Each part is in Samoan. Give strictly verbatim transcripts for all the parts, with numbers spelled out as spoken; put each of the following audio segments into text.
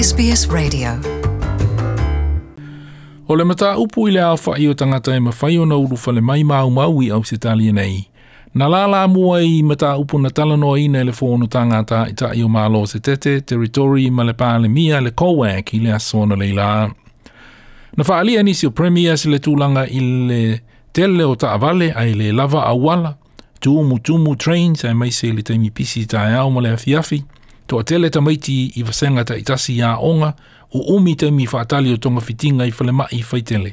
S B S Radio. O le mataupu i le aofa'i o tagata e mafai ona ulufale mai maumau i Ausetalia nei. Na lala mua i mataupu na talanoaina i le fonotaga a Ta'ita'i o Malo se tete, Territory ma le Palemia le C O A C i le aso analeila. Na fa'aalia nisi o Premiers le tulaga i le tele o ta'avale ae le lava auala, tumutumu trains aemaise i le taimi pisi taeao ma le afiafi, to'atele tamaiti i vasega ta'itasi a'oga, u'umi taimi fa'atali o togafitiga i falema'i faitele.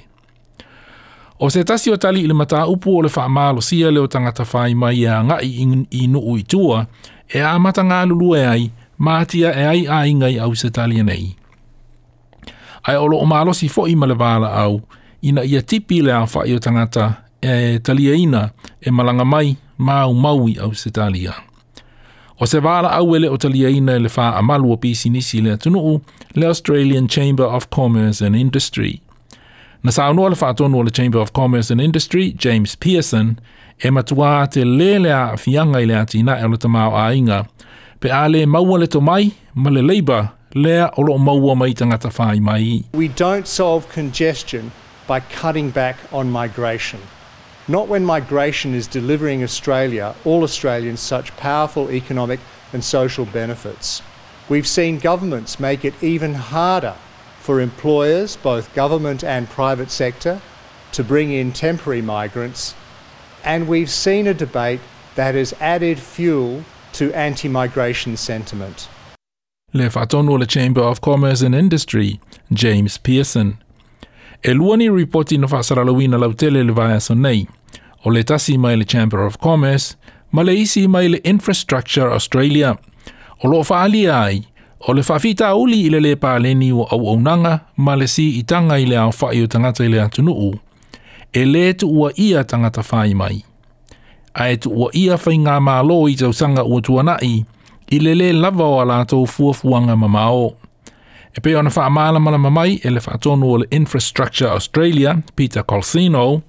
O se tasi o tali i le mataupu o le fa'amalosia le o tagata fai mai e aga'i i nu'u i tua, e amata galulue ai, ma atia'e ai aiga i Ausetalia nei. Ae o lo'o malosi fo'i ma le vala'au, ina ia tipi le aofa'i o tagata e taliaina e malaga mai maumau i Ausetalia. O se vala'au e le o taliaina e le fa'amalu o pisinisi le atunu'u, le Australian Chamber of Commerce and Industry. Na saunoa le fa'atonu o le Chamber of Commerce and Industry, James Pearson, e matuā te lē le a'afiaga i le atina'e o le tamāo'aiga, pe a lē maua le tomai ma le labour lea o lo'o maua mai tagata fai mai. We don't solve congestion by cutting back on migration. Not when migration is delivering Australia, all Australians, such powerful economic and social benefits. We've seen governments make it even harder for employers, both government and private sector, to bring in temporary migrants. And we've seen a debate that has added fuel to anti-migration sentiment. Le fa'atonu o le Chamber of Commerce and Industry, James Pearson. E lua ni ripoti na fa'asalalauina lautele le vaiaso nei. O le tasi mai le Chamber of Commerce, ma le isi mai le Infrastructure Australia. O lo'o fa'alia ai, o le fa'afitauli i le lē paleni o auaunaga ma le si'itaga i le aofa'i o tagata i le atunu'u. E lē tu'uaʻia tagata fai mai. Ae tu'uaʻia faigā mālō i tausaga ua tuana'i, i le lē lava o a latou fuafuaga mamao. E pei ona fa'amalamalama mai e le fa'atonu o le Infrastructure Australia, Peter Colcino.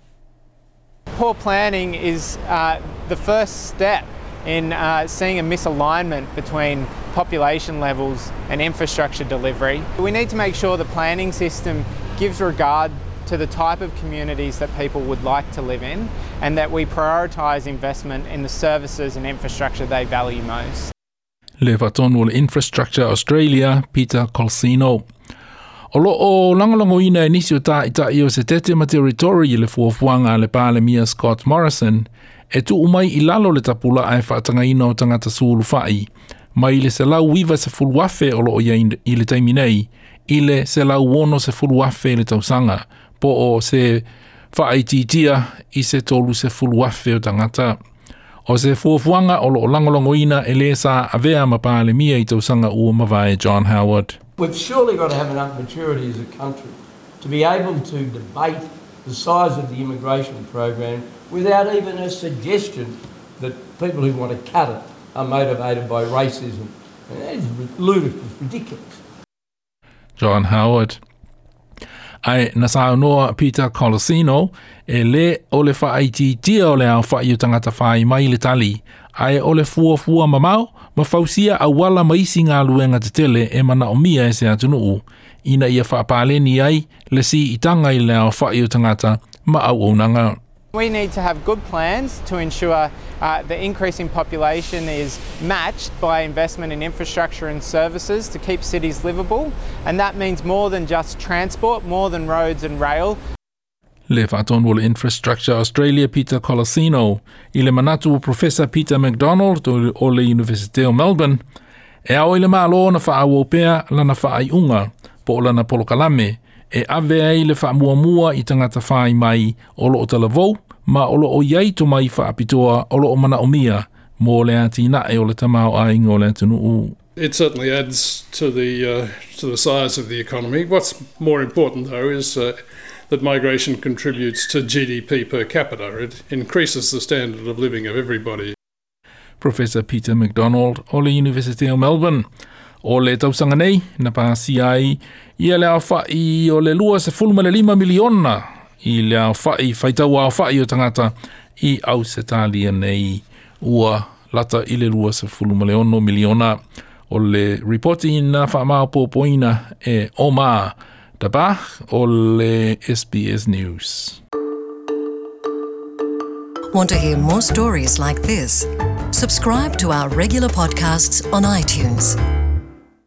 Poor planning is uh, the first step in uh, seeing a misalignment between population levels and infrastructure delivery. We need to make sure the planning system gives regard to the type of communities that people would like to live in, and that we prioritise investment in the services and infrastructure they value most. Le fa'atonu o le Infrastructure Australia, Peter Colcino. O lo'o lagolagoina e nisi o ta'ita'i o se tete ma Territory i le fuafuaga a le Palemia Scott Morrison, e tu'u mai i lalo le tapula'a e fa'atagaina o tagata sulufa'i, mai le selau iva sefulu afe o lo'o ia i le taimi nei, i le selau ono sefulu afe i le tausaga, po o se fa'aitiitia i se tolu sefulu afe o tagata. O se fuafuaga o lo'o lagolagoina e lē sa avea ma Palemia i tausaga ua mavae John Howard. We've surely got to have enough maturity as a country to be able to debate the size of the immigration program without even a suggestion that people who want to cut it are motivated by racism. And that is ludicrous, ridiculous. John Howard. Ae na saunoa Peter Colcino e lē o le fa'aitiitia o le aofa'i o tagata fai mai le tali, ae o le fuafua mamao ma fausia auala ma isi galuega tetele e mana'omia e se atunu'u, ina ia fa'apaleni ai le si'itaga i le aofa'i o tagata ma auaunaga. We need to have good plans to ensure uh, the increase in population is matched by investment in infrastructure and services to keep cities livable, and that means more than just transport, more than roads and rail. Le fa'atonu o le Infrastructure Australia, Peter Colcino, i le manatu o Professor Peter MacDonald o le University o Melbourne, e ao i le mālō na fa'aauau pea lana fa'ai'uga po o lana polokalame, e ave ai le fa'amuamua i tagata fai mai o lo'o talavou ma o lo'o iai tomai fa'apitoa o lo'o mana'omia mo le atina'e o le tamāo'aiga o le atunu'u. It certainly adds to the, uh, to the size of the economy. What's more important, though, is uh, that migration contributes to G D P per capita. It increases the standard of living of everybody. Professor Peter MacDonald o le University of Melbourne. O le tausaga nei, na pasia ai ia le aofa'i o le lua sefulu ma le lima miliona i le aofa'i faitau aofa'i o tagata i Ausetalia nei, ua lata i le lua sefulu ma le ono miliona. O le ripoti na faamaopoopoina e Omar Dabbagh o le S B S News. Want to hear more stories like this? Subscribe to our regular podcasts on iTunes.